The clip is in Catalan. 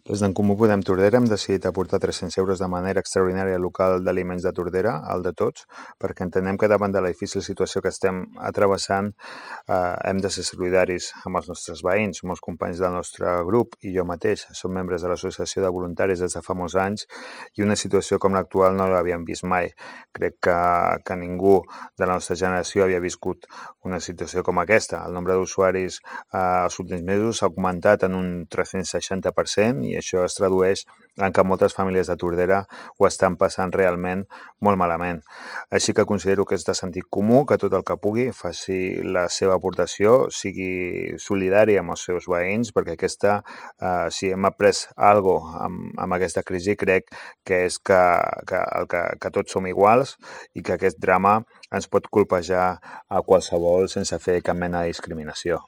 Des d'en Comú Podem Tordera hem decidit aportar 300 euros de manera extraordinària al local d'aliments de Tordera, el de tots, perquè entenem que davant de la difícil situació que estem travessant hem de ser solidaris amb els nostres veïns. Molts companys del nostre grup i jo mateix som membres de l'associació de voluntaris des de fa molts anys i una situació com l'actual no l'havíem vist mai. Crec que ningú de la nostra generació havia viscut una situació com aquesta. El nombre d'usuaris els últims mesos s'ha augmentat en un 360% i això es tradueix en que moltes famílies de Tordera ho estan passant realment molt malament. Així que considero que és de sentit comú que tot el que pugui faci la seva aportació, sigui solidari amb els seus veïns, perquè si hem après alguna cosa amb aquesta crisi, crec que és que tots som iguals i que aquest drama ens pot colpejar a qualsevol sense fer cap mena de discriminació.